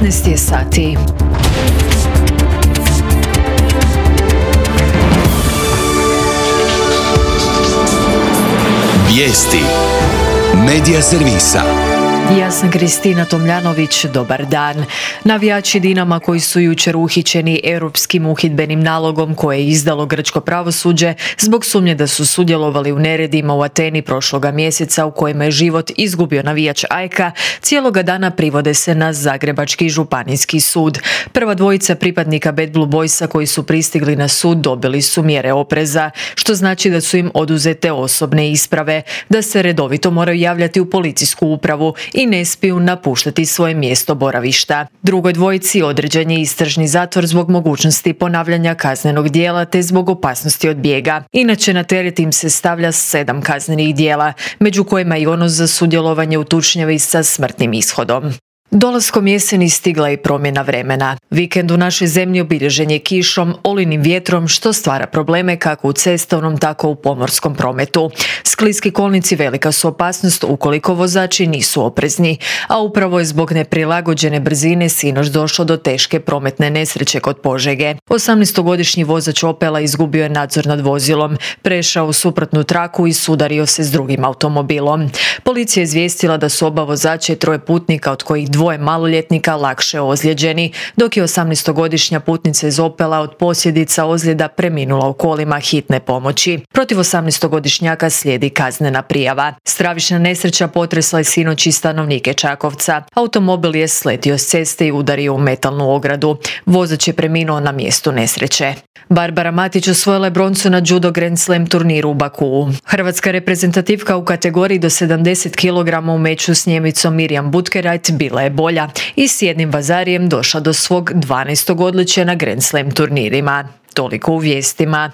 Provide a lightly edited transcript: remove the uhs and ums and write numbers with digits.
15 je sati. Vijesti Medija servisa. Ja sam Kristina Tomljanović, dobar dan. Navijači Dinama koji su jučer uhićeni europskim uhidbenim nalogom koje je izdalo grčko pravosuđe zbog sumnje da su sudjelovali u neredima u Ateni prošloga mjeseca u kojima je život izgubio navijač AEK-a, cijeloga dana privode se na Zagrebački županijski sud. Prva dvojica pripadnika Bad Blue Boysa koji su pristigli na sud dobili su mjere opreza, što znači da su im oduzete osobne isprave, da se redovito moraju javljati u policijsku upravu i ne smiju napuštati svoje mjesto boravišta. Drugoj dvojici određen je istražni zatvor zbog mogućnosti ponavljanja kaznenog djela te zbog opasnosti od bijega. Inače, na teret im se stavlja 7 kaznenih djela, među kojima i ono za sudjelovanje u tučnjavi sa smrtnim ishodom. Dolaskom jeseni stigla je promjena vremena. Vikend u našoj zemlji obilježen je kišom, olinim vjetrom, što stvara probleme kako u cestovnom, tako u pomorskom prometu. Skliski kolnici velika su opasnost ukoliko vozači nisu oprezni, a upravo je zbog neprilagođene brzine sinoć došlo do teške prometne nesreće kod Požege. 18-godišnji vozač Opela izgubio je nadzor nad vozilom, prešao u suprotnu traku i sudario se s drugim automobilom. Policija je izvijestila da su oba vozača i 3 putnika, od kojih 2 maloljetnika, lakše ozlijeđeni, dok je 18-godišnja putnica iz Opela od posljedica ozljeda preminula u kolima hitne pomoći. Protiv 18-godišnjaka slijedi kaznena prijava. Stravična nesreća potresla je sinoć i stanovnike Čakovca. Automobil je sletio s ceste i udario u metalnu ogradu. Vozač je preminuo na mjestu nesreće. Barbara Matić osvojila je broncu na judo Grand Slam turniru u Bakuu. Hrvatska reprezentativka u kategoriji do 70 kg u meču s Njemicom Mirjam Butkerajt bila je bolja i s jednim vazarijem došla do svog 12. odličja na Grand Slam turnirima. Toliko u vijestima.